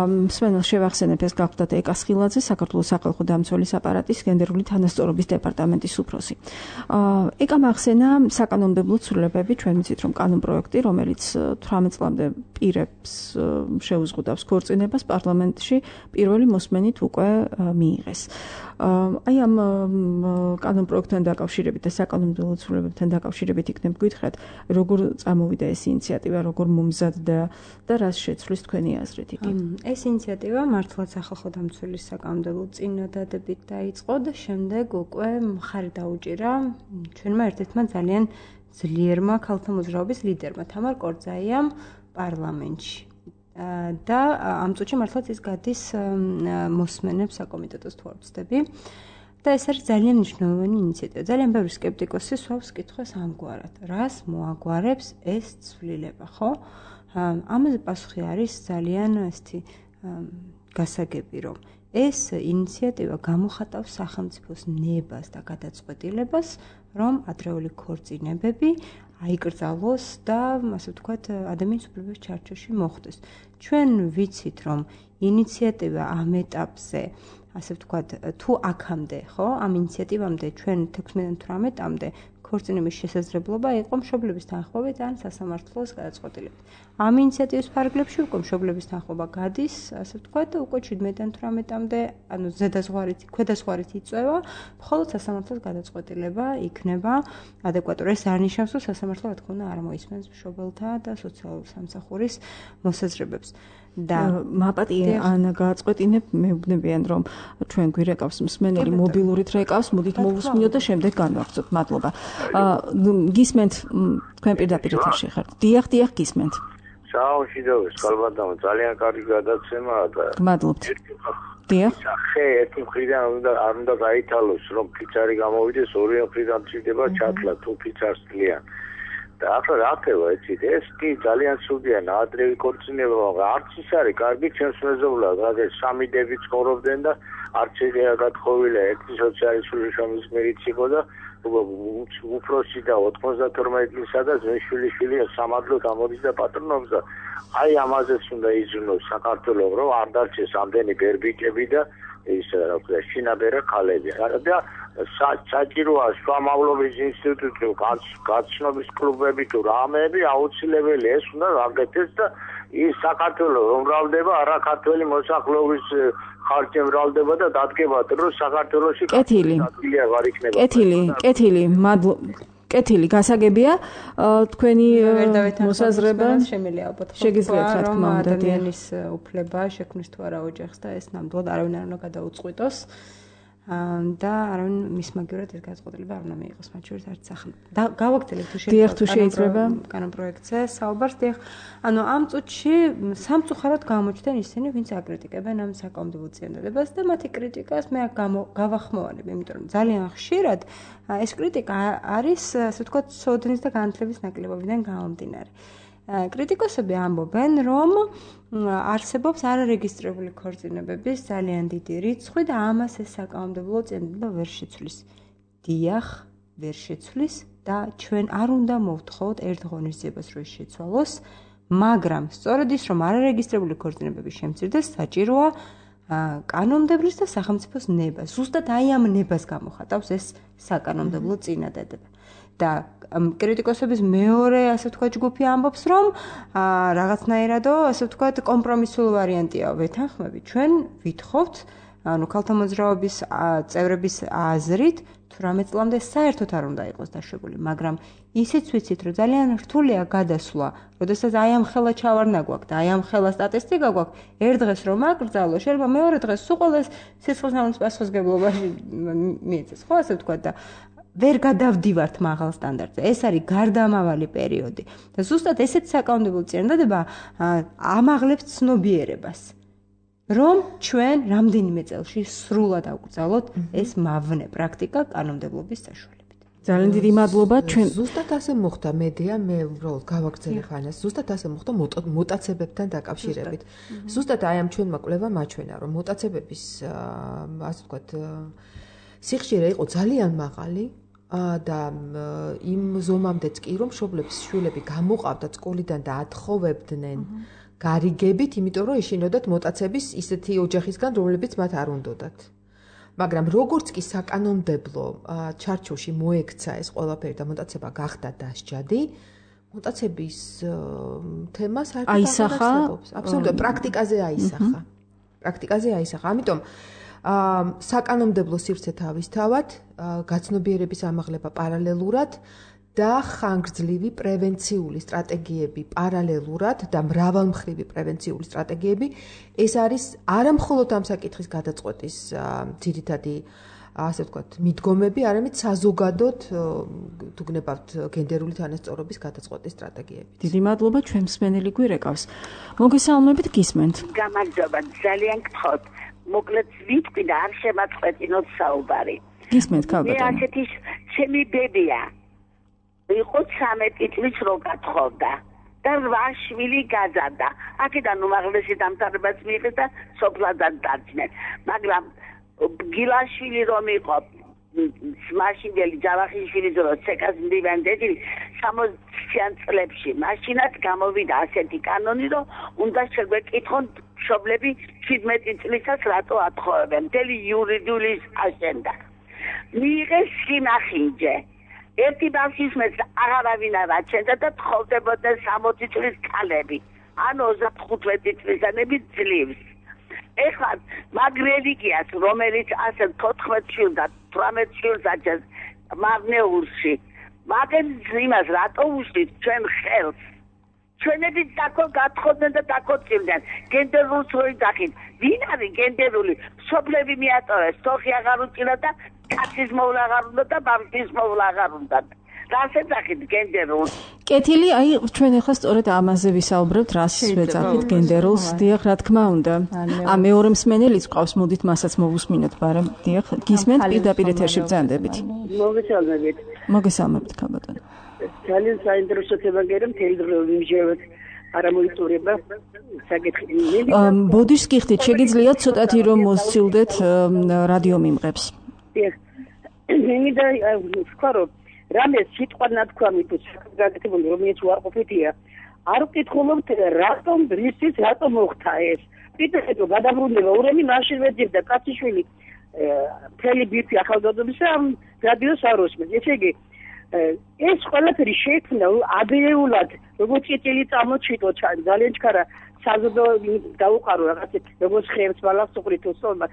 მსმენელს შევახსენებ, ეს გახლდათ ეკა სხილაძე, საქართველოს სახალხო დამცველის აპარატის გენდერული თანასწორობის დეპარტამენტის უფროსი. ეკა მახსენა საკანონმდებლო ცვლილებები, ჩვენ ვიცით, რომ კანონპროექტი, რომელიც 18 წლამდე პირებს შეუზღუდავს ქორწინებას, პარლამენტში პირველი მოსმენით უკვე მიიღეს. აი ამ კანონპროექტთან დაკავშირებით და საკანონმდებლო ცვლილებებთან დაკავშირებით იქნებ გითხრათ, როგორ წამოვიდა ეს ინიციატივა, როგორ მომზადდა და რას შეცვლის თქვენი აზრით იგი? ეს ინიციატივა მართლაც სახალხო დამცველის საკანონმდებლო წინადადებით დაიწყო და შემდეგ უკვე მხარი დაუჭირა ჩვენმა ერთ-ერთმა ძალიან ძლიერმა ქალთა მოძრაობის ლიდერმა თამარ კორძაიამ პარლამენტში. და ამ წუთში მართლაც ის გადის მოსმენებს საკომიტეტოს თუ არ ვცდები. და ეს არის ძალიან მნიშვნელოვანი ინიციატივა. ძალიან ბევრი სკეპტიკოსი სვავს კითხვას ამგვარად. რას მოაგვარებს ეს ცვლილება, ხო? ამაზე პასუხი არის ძალიან ესეთი გასაგები, რომ ეს ინიციატივა გამოხატავს სახელმწიფოს ნებას და გადაწყვეტილებას, რომ ადრეული ქორწინებები აიკრძალოს და ასე ვთქვათ, ადამიანის უფლებების ჩარჩოში მოხვდეს. ჩვენ ვიცით, რომ ინიციატივა ამ ეტაპზე, ასე ვთქვათ, თუ აქამდე, ხო, ამ ინიციატივამდე ჩვენ 16-დან 18-მდე ქორწინების შესაძლებლობა იყო მშობლების თანხმობით ან სასამართლოს გადაწყვეტილებით. ამ ინიციატივის ფარგლებში უკვე მშობლების თანხმობა გადის, ასე ვთქვათ, უკვე 17-დან 18-მდე, ანუ ზედაზღვარით, ქვედაზღვარით იწევა, მხოლოდ სასამართლოს გადაწყვეტილება იქნება ადეკვატური. ეს არ ნიშნავს, რომ სასამართლო რა თქმა უნდა არ მოისმენს მშობელთა და სოციალური სამსახურის მოსაზრებებს. და მაპატია ანა გააწყვეტინებ, მეუბნებიან, რომ ჩვენ გვირეკავს მსმენელი მობილურით რეკავს, მოდით მოვუსმინოთ და შემდეგ განვაგრძობთ. მადლობა. გისმენთ თქვენ პირდაპირ ეთერში ხართ. დიახ, გისმენთ. საუბრობთ, ხალბატონო, ძალიან კარგი გადაცემაა და მადლობთ. დიახ. ხე ერთი მხრიდან არ უნდა გაითალოს, რომ ფიცარი გამოვიდეს, ორი მხრიდან ჭირდება ჩათლა თუ ფიცარს ძლიან. და ახლა რა ხდება, იცით, ეს კი ძალიან ცუდია, ადრევი ქორწინება, არც ის არის კარგი ჩვენს მეზობლად, რადგან სამი დები ცხოვრობდნენ და არც ეგრე გათხოვილია, ერთი სოციალისტური შრომის გმირიც იყო და უფროსი და 92 წლისა და ძმისშვილი სამადლოდ ამოდის და პატრონობს და აი ამაზეც უნდა იზრუნოს საქართველოს, რომ არ დარჩეს ამდენი ბერბიკები და ის რა ქვია, შინაბერა ქალები. და საჭიროა შუამავლობის ინსტიტუტი, გაცნობის კლუბები თუ რამეები აუცილებელი ეს უნდა გაკეთდეს და ის საქართველოს რომ მრავლდება, არა ქართველი მოსახლეობის ხარჯი მრავლდება და დადგებათ, რომ საქართველოში კეთილი არ იქნება. კეთილი, მადლობა. კეთილი გასაგებია თქვენი მოსაზრება შემიძლია ალბათ შეგიძლიათ რა თქმა უნდა ადამიანის უფლება შექმნის თუ არა ოჯახს და ეს ნამდვილად არავინ არ უნდა გადაუწყვიტოს და არავინ მის მაგივრად ეს გადაწყვეტილება არ უნდა მიიღოს მათ შორის არც ახლა და გავაგრძელებთ თუ შეიძლება კანონპროექტზე საუბარს დიახ ანუ ამ წუთში სამწუხაროდ გამოჩნდნენ ისინი ვინც აკრიტიკებენ ამ საკანონმდებლო წინადადებას და მათი კრიტიკას მე გავახმოვანებ იმიტომ რომ ძალიან ხშირად ეს კრიტიკა არის ასე ვთქვათ სოდნის და განათლების ნაკლებობიდან გამომდინარე კრიტიკოსები ამბობენ რომ არსებობს არარეგისტრირებული ქორწინებების ძალიან დიდი რიცხვი და ამას ეს საკანონმდებლო წინადადება ვერ შეცვლის. დიახ, ვერ შეცვლის და ჩვენ არ უნდა მოვთხოვოთ ერთ ღონისძიებას რომ შეცვალოს, მაგრამ სწორედ ის რომ არარეგისტრირებული ქორწინებები შემცირდეს, საჭიროა კანონმდებლის და სახელმწიფოს ნება. ზუსტად აი ამ ნებას გამოხატავს ეს საკანონმდებლო წინადადება. და კრიტიკოსების მეორე ასე ვთქვათ ჯგუფი ამბობს რომ რაღაცნაირადო ასე ვთქვათ კომპრომისული ვარიანტია ვეთანხმები ჩვენ ვითხოვთ ანუ ქალთა მოძრაობის წევრების აზრით 18 წლამდე საერთოდ არ უნდა იყოს დაშვებული მაგრამ ისიც ვიცით რომ ძალიან რთულია გადასვლა როდესაც აი ამ ხელა ჩავარნა გვაქვს და აი ამ ხელა სტატისტიკა გვაქვს ერთ დღეს რომ აკრძალო შეიძლება მეორე დღეს სულ ყოველს სიცოცხლის პასუხისმგებლობაში მიეცეს ხო ასე ვთქვათ და ვერ გადავდივართ მაღალ სტანდარტზე. ეს არის გარდამავალი პერიოდი. და ზუსტად ესეთ საკანონმდებლო წინადადება ამაღლებს ცნობიერებას. რომ ჩვენ რამდენიმე წელში სრულად აუკრძალოთ ეს მავნე პრაქტიკა კანონმდებლობის საშუალებით. ძალიან დიდი მადლობა ჩვენ ზუსტად ასე მოხდა მედია მე უბრალოდ გავაგრძელებ ანას ზუსტად ასე მოხდა მუტაცებებთან დაკავშირებით. ზუსტად აი ამ ჩვენმა კვლევამ აჩვენა რომ მუტაცებების ასე ვთქვათ სიხშირე იყო ძალიან მაღალი და იმ ზომამდეც კი რომ მშობლებს შვილები გამოყავდათ სკოლიდან და ათხოვებდნენ გარიგებით, იმიტომ რომ ეშინოდათ მოტაცების ისეთი ოჯახისგან, რომლებიც მათ არ უნდოდათ. მაგრამ როგორც კი საკანონმდებლო ჩარჩოში მოექცა ეს ყველაფერი და მოტაცება გახდა დასჯადი, მოტაცების თემა საერთოდ აღარ აბსოლუტურად პრაქტიკაზე აისახა. ამიტომ საკანონმდებლო სივრცე თავისთავად, გაცნობიერების ამაღლება პარალელურად და ხანგრძლივი პრევენციული სტრატეგიები პარალელურად და მრავალმხრივი პრევენციული სტრატეგიები ეს არის არა მხოლოდ ამ საკითხის გადაწყვეტის ძირითადი ასე ვთქვათ მიდგომები, არამედ საზოგადოდ თუ გნებავთ გენდერული თანასწორობის გადაწყვეტის სტრატეგიები. დიდი მადლობა, ჩვენ მსმენელი გვირეკავს. მოგესალმებით, გისმენთ. გამარჯობა, ძალიან გთხოვთ. მოკლედ ვიტყვი და არ შემაწყვეტინოთ საუბარი. გისმენთ, ქალბატონო. მე ასეთი ჩემი ბებია. იყო 13 წლის რო გათხოვდა და 8 შვილი გაზარდა. აქედან უმაღლესი დამთავრებაც მიიღეს და სოფლადან დაძნენ. მაგრამ გილაშვილი რომ იყო მაშინდელი ჯავახიშვილი ძრო ცეკას მდივანდელი 60-იან წლებში მაშინაც გამოვიდა ასეთი კანონი რომ უნდა შეგვეკითხონ მშობლები 17 წლისას რატო ათხოვებენ მთელი იურიდიული აშენდა მიიღეს სინახინჯე ერთი ბავშვის მეც აღარავინ არ აჩენდა და თხოვდებოდნენ 60 წლის ქალები ანუ 35 წლისანები ძლივს ეხლა მაგ რელიგიას რომელიც ასე 14 შვილს და 18 შვილს აჩენს მარნეულში მაგენ იმას რატო უშლით ჩვენ ხელს ჩვენები გათხოვდნენ და დაკოცილდნენ გენდერულ სოლიდარით ვინ არის გენდერული სოფლები მიატოვეს თოხი აღარ უჭირდა და კაცის მოვლა აღარ უნდა და ბავშვის მოვლა აღარ უნდა რასაც ახით გენდერულ კეთილი აი ჩვენ ახლა სწორედ ამაზე ვისაუბრებთ რას ვეძახით გენდერულს დიახ რა თქმა უნდა ა მეორე მსმენელიც ყავს მოდით მასაც მოვუსმინოთ ბარემ დიახ გისმენთ პირდაპირ ეთერში ბრძანდებით მოგესალმებით ქალბატონო ძალიან საინტერესო თემა გერა მთელი დრო ვიმჟევთ არა მოიწურება საკითხი ბოდიშს გიხდით შეგიძლიათ ცოტათი რომ მოსცილდეთ რადიო მიმღებს დიახ მინდა ვთქვა რომ რამე სიტყვა ნათქვამი თუ გაკეთებული რომელიც უარყოფითია არ ვკითხულობთ რატომ ბრისის რატომ მოხდა ეს პიტერო გადაბრუნება ურემი მაშინ ვეძებდა კაციშვილი მთელი ბირთვი ახალგაზრდობისა რადიოს არ უსმენს ესე იგი ეს ყველაფერი შეიქმნა ადრეულად როგორც წელი წამოჩიტო ძალიან ჩქარა საზოგადო დაუყარო რაღაცეთ როგორც ხერხს ბალახს უყრით უსწორმა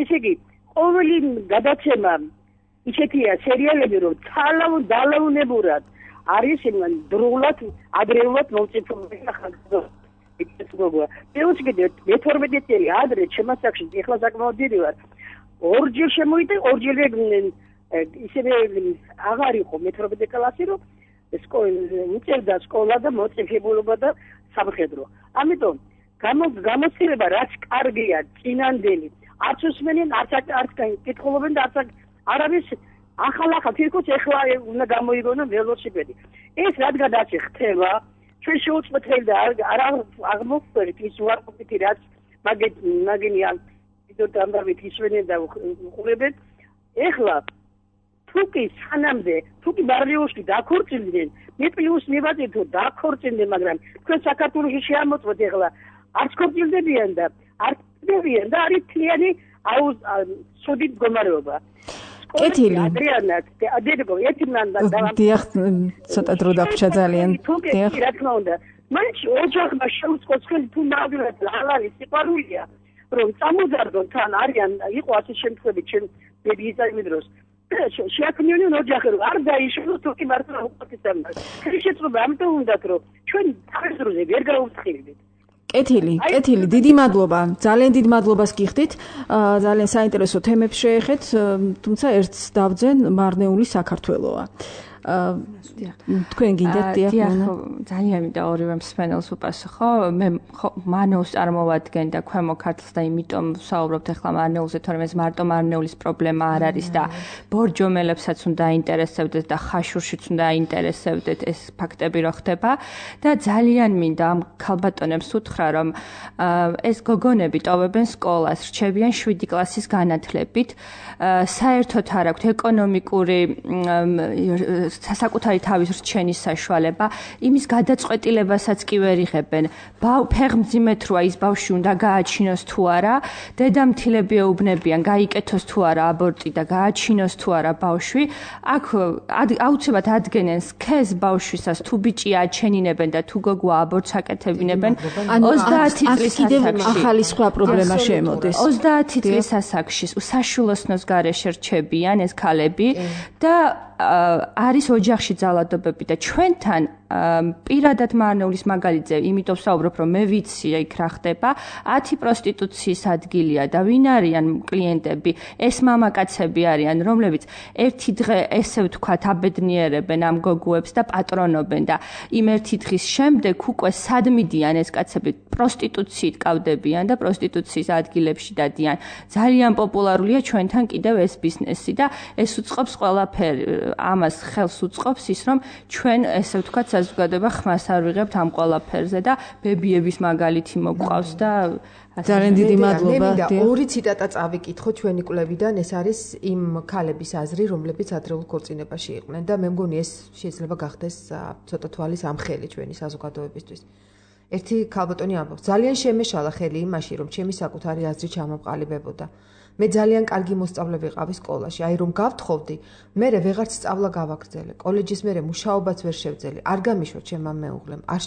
ესე იგი ყოველი გადაცემა ისეთია სერიალები რომ დალაუნებურად არის დროულად ადრეულად მომწიფებული ახალგაზრდა მე-12 წელი ადრე შემასახში ეხლა საკმაოდ დიდი ვარ ორჯერ შემოვიდა ორჯერ ისევე აღარ იყო მე-12 კლასი რომ უწევდა სკოლა და მოწიფებულობა და სამხედრო ამიტომ გამოცდილება რაც კარგია წინანდელი არც უსმენენ არც კითხულობენ და არც არავის ახალ თირკუს ეხლა უნდა გამოიგონო ველოსიპედი ეს რადგან ასე ხდება ჩვენ შეუწყვეტელი და არ აღმოხდებით ის უარყოფითი რაც მაგენია ვიდეო დამბავით ისვენენ და უყურებენ ეხლა თუკი სანამდე თუკი ბარლიოში დაქორწინდნენ მე პლუს მივაწერ თუ დაქორწინდნენ მაგრამ თქვენ საქართველოში შეამოწმოთ ეხლა არც ქორწინდებიან და არც დებიან და არის თლიანი სუდით მდგომარეობა კეთილი ადრიანად ადერგო ეთიმნან და დიახ ცოტა დრო დაგვჭა ძალიან დიახ რა თქმა უნდა მაინც ოჯახმა შეუწყოს ხელი თუ მაგალითად ალარი სიყვარულია რომ წამოძარდონ თან არიან იყო ასე შემთხვევები ჩვენ ბებიის დროს შეაქმნიონ ოჯახი რომ არ დაიშალოს თუ კი მართლა უყურებთ შეწრობა ამიტომ უნდათ რომ ჩვენ თავის დროზე ვერ გაუცხილდით კეთილი, დიდი მადლობა. ძალიან დიდ მადლობას გიხდით. ძალიან საინტერესო თემებს შეეხეთ, თუმცა ერთს დავძენ მარნეული საქართველოა. თქვენ გინდათ დიახ ძალიან მინდა ორივე მსმენელს უპასუხო მე მარნეულს წარმოვადგენ და ქვემო ქართლს და იმიტომ ვსაუბრობთ ახლა მარნეულზე თორემ ეს მარტო მარნეულის პრობლემა არ არის და ბორჯომელებსაც უნდა აინტერესებდეს და ხაშურშიც უნდა აინტერესებდეთ ეს ფაქტები რო ხდება და ძალიან მინდა ამ ქალბატონებს უთხრა რომ ეს გოგონები ტოვებენ სკოლას რჩებიან 7 კლასის განათლებით საერთოდ არ აქვთ ეკონომიკური საკუთარი თავის რჩენის საშუალება იმის გადაწყვეტილებასაც კი ვერ იღებენ ფეხმძიმეთ როა ის ბავშვი უნდა გააჩინოს თუ არა დედამთილები ეუბნებიან გაიკეთოს თუ არა აბორტი და გააჩინოს თუ არა ბავშვი აქ აუცილებლად ადგენენ სქეს ბავშვისას თუ ბიჭია აჩენინებენ და თუ გოგოა აბორტს აკეთებინებენ 30 წლის ასაკში ახალი სხვა პრობლემა შემოდის 30 წლის ასაკში საშულოსნოს გარეშე რჩებიან ეს ქალები და არის ოჯახში ძალადობები და ჩვენთან პირადად მარნეულის მაგალითზე იმიტომ ვსაუბრობ რომ მე ვიცი იქ რა ხდება 10 პროსტიტუციის ადგილია და ვინ არიან კლიენტები ეს მამაკაცები არიან რომლებიც ერთი დღე ესე ვთქვათ აბედნიერებენ ამ გოგოებს და პატრონობენ და იმ ერთი დღის შემდეგ უკვე სად მიდიან ეს კაცები პროსტიტუციით კავდებიან და პროსტიტუციის ადგილებში დადიან ძალიან პოპულარულია ჩვენთან კიდევ ეს ბიზნესი და ეს უწყობს ყველაფერი ამას ხელს უწყობს ის რომ ჩვენ ესე ვთქვათ საზოგადოება ხმას არ ვიღებთ ამ ყველაფერზე და ბებიების მაგალითი მოყავს და ძალიან დიდი მადლობა. ორი ციტატა წავიკითხო ჩვენი კვლევიდან, ეს არის იმ ქალების აზრი, რომლებიც ადრეულ ქორწინებაში იყვნენ და მე მგონი ეს შეიძლება გახდეს ცოტა თვალის ამხელი ჩვენი საზოგადოებისთვის. ერთი ქალბატონი ამბობს, ძალიან შემეშალა ხელი იმაში, რომ ჩემი საკუთარი აზრი ჩამოყალიბებოდა. მე ძალიან კარგი მოსწავლე ვიყავი სკოლაში, აი რომ გავთხოვდი, მე ვეღარც სწავლა გავაგრძელე, კოლეჯის მერე მუშაობაც ვერ შევძელი, არ გამიშვა ჩემმა მეუღლემ, არ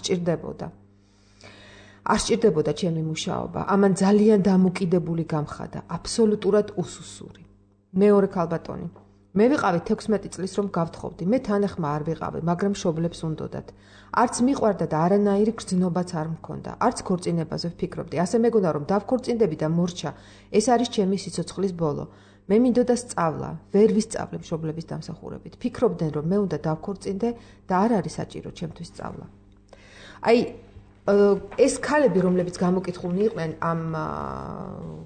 სჭირდებოდა ჩემი მუშაობა, ამან ძალიან დამოკიდებული გამხადა, აბსოლუტურად უსუსური. მეორე ქალბატონი, მე ვიყავი 16 წლის რომ გავთხოვდი, მე თანახმა არ ვიყავი, მაგრამ მშობლებს უნდოდათ. არც მიყვარდა და არანაირი გრძნობაც არ მქონდა, არც ქორწინებაზე ვფიქრობდი. ასე მეგონა რომ დავქორწინდები და მორჩა, ეს არის ჩემი სიცოცხლის ბოლო. მე მინდოდა სწავლა, ვერ ვისწავლე მშობლების დამსახურებით. ფიქრობდნენ რომ მე უნდა დავქორწინდე და არ არის საჭირო ჩემთვის სწავლა. აი ეს ქალები, რომლებიც გამოკითხულნი იყვნენ ამ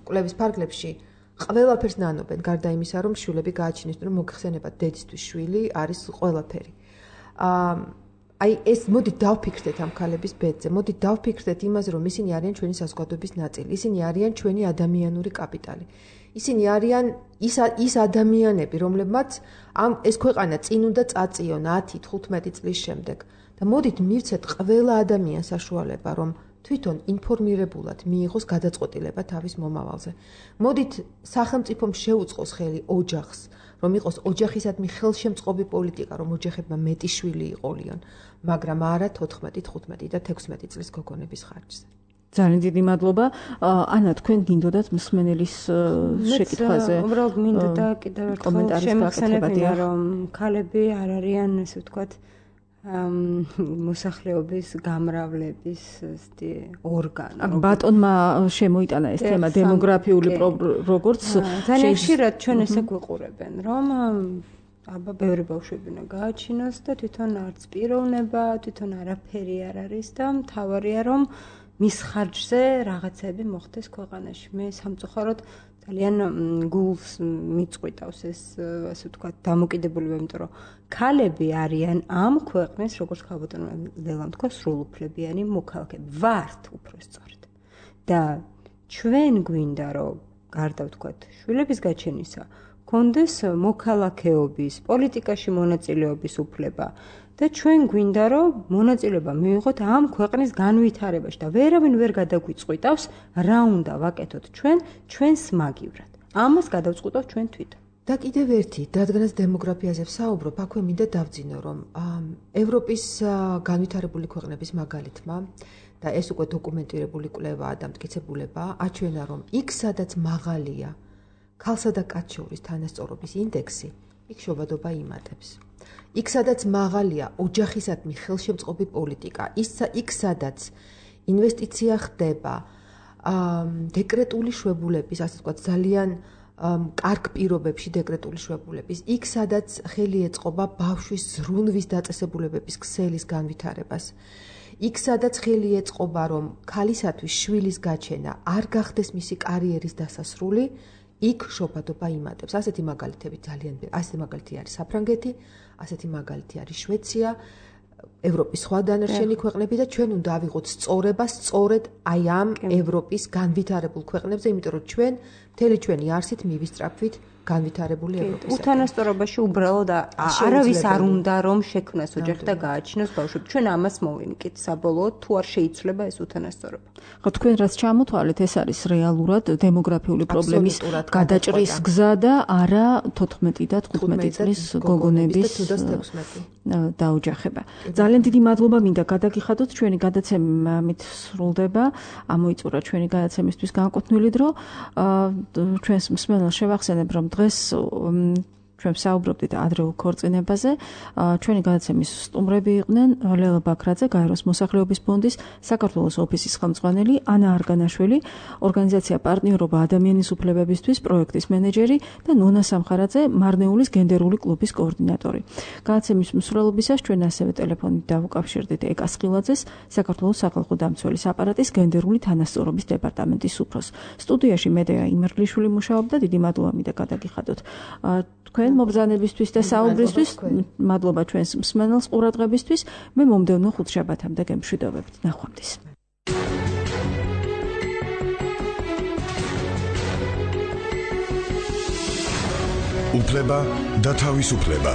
კვლევის ფარგლებში, ყველაფერს ნანობენ, გარდა იმისა, რომ შვილები გააჩინეს, რომ მოგხსენებათ დედისთვის შვილი არის ყველაფერი. აი ეს მოდით დავფიქრდეთ ამ ქალების ბედზე, მოდით დავფიქრდეთ იმაზე, რომ ისინი არიან ჩვენი საზოგადოების ნაწილი, ისინი არიან ჩვენი ადამიანური კაპიტალი. ისინი არიან ის ადამიანები, რომლებმაც ეს ქვეყანა წინ უნდა წაწიონ 10-15 წლის შემდეგ. და მოდით მივცეთ ყველა ადამიანს საშუალება, რომ თვითონ ინფორმირებულად მიიღოს გადაწყვეტილება თავის მომავალზე. მოდით სახელმწიფომ შეუწყოს ხელი ოჯახს, რომ იყოს ოჯახისადმი ხელშემწყობი პოლიტიკა, რომ ოჯახებმა მეტი შვილი იყოლიონ, მაგრამ არა 14, 15 და 16 წლის გოგონების ხარჯზე. ძალიან დიდი მადლობა. ანა, თქვენ გინდოდათ მსმენელის შეკითხვაზე უბრალოდ მინდა და კიდევ ერთხელ შემეხსენებინა, რომ ქალები არ არიან, ესე ვთქვათ, მოსახლეობის გამრავლების ორგანო. აქ ბატონმა შემოიტანა ეს თემა დემოგრაფიული როგორც ძალიან ხშირად ჩვენ ესე გვიყურებენ, რომ აბა ბევრი ბავშვები უნდა გააჩინოს და თვითონ არც პიროვნება, თვითონ არაფერი არ არის და მთავარია რომ მის ხარჯზე რაღაცები მოხდეს ქვეყანაში. მე სამწუხაროდ ძალიან გულს მიწყვიტავს ეს ასე ვთქვათ დამოკიდებულება, იმიტომ რომ ქალები არიან ამ ქვეყნის, როგორც ქალბატონმა ლელამ თქვა, სრულუფლებიანი მოქალაქეები. ვართ უბრალოდ. და ჩვენ გვინდა რომ გარდა ვთქვათ შვილების გაჩენისა, გქონდეს მოქალაქეობის, პოლიტიკაში მონაწილეობის უფლება და ჩვენ გვინდა რომ მონაწილეობა მივიღოთ ამ ქვეყნის განვითარებაში და ვერავინ ვერ გადაგვიწყვიტავს რა უნდა ვაკეთოთ ჩვენს მაგივრად. ამას გადავწყვიტავთ ჩვენ თვითონ. და კიდევ ერთი, რადგანაც დემოგრაფიაზე ვსაუბრობ, აქვე მინდა დავძინო, რომ ევროპის განვითარებული ქვეყნების მაგალითმა და ეს უკვე დოკუმენტირებული კვლევაა და მტკიცებულება აჩვენა, რომ იქ სადაც მაღალია ქალსა და კაცს შორის თანასწორობის ინდექსი, იქ შობადობა იმატებს. იქ სადაც მაღალია ოჯახისადმი ხელშემწყობი პოლიტიკა, იქ სადაც ინვესტიცია ხდება, დეკრეტული შვებულების, ასე ვთქვათ, ძალიან კარგ პირობებში დეკრეტული შვებულების, იქ სადაც ხელი ეწყობა ბავშვის ზრუნვის დაწესებულებების ქსელის განვითარებას. იქ სადაც ხელი ეწყობა რომ ქალისათვის შვილის გაჩენა არ გახდეს მისი კარიერის დასასრული, იქ შობადობა იმატებს. ასეთი მაგალითები ასეთი მაგალითი არის საფრანგეთი, ასეთი მაგალითი არის შვეიცარია, ევროპის სხვა დანარჩენი ქვეყნები და ჩვენ უნდა ავიღოთ სწორება სწორედ აი ამ ევროპის განვითარებულ ქვეყნებზე, იმიტომ რომ ჩვენ მთელი ჩვენი არსით მივისწრაფვით განვითარებული ევროპის. უთანასწორობაში უბრალოდ არავის არ უნდა რომ შექმნას ოჯახი და გააჩინოს ბავშვები. ჩვენ ამას მოვიმკით საბოლოოდ თუ არ შეიცვლება ეს უთანასწორობა. ხო, თქვენ რაც ჩამოთვალეთ, ეს არის რეალურად დემოგრაფიული პრობლემის გადაჭრის გზა და არა 14 და 15 წლის გოგონების დაოჯახება. ძალიან დიდი მადლობა მინდა გადაგიხადოთ, ჩვენი გადაცემა ამით სრულდება. ამოიწურა ჩვენი გადაცემისთვის განკუთვნილი დრო. ჩვენს მსმენელს შევახსენებ, რომ დღეს ჩვენ საუბრობდით ადრეულ ქორწინებაზე. ჩვენი გადაცემის სტუმრები იყვნენ ლელა ბაქრაძე, გაეროს მოსახლეობის ფონდის საქართველოს ოფისის ხელმძღვანელი, ანა არგანაშვილი, ორგანიზაცია პარტნიორობა ადამიანის უფლებებისთვის პროექტის მენეჯერი და ნონა სამხარაძე, მარნეულის გენდერული კლუბის კოორდინატორი. გადაცემის მსვლელობისას ჩვენ ასევე ტელეფონით დავუკავშირდით ეკას ხილაძეს, საქართველოს სახალხო დამცველის აპარატის გენდერული თანასწორობის დეპარტამენტის უფროსს. სტუდიაში მედეა იმერგლიშვილი მუშაობდა. დიდი მადლობა მინდა გადაგიხადოთ თქვენ მობრძანებისთვის და საუბრისთვის. მადლობა ჩვენს მსმენელს ყურადღებისთვის. მე მომდევნო ხუთშაბათამდე გემშვიდობებით. ნახვამდის. უფლება და თავისუფლება.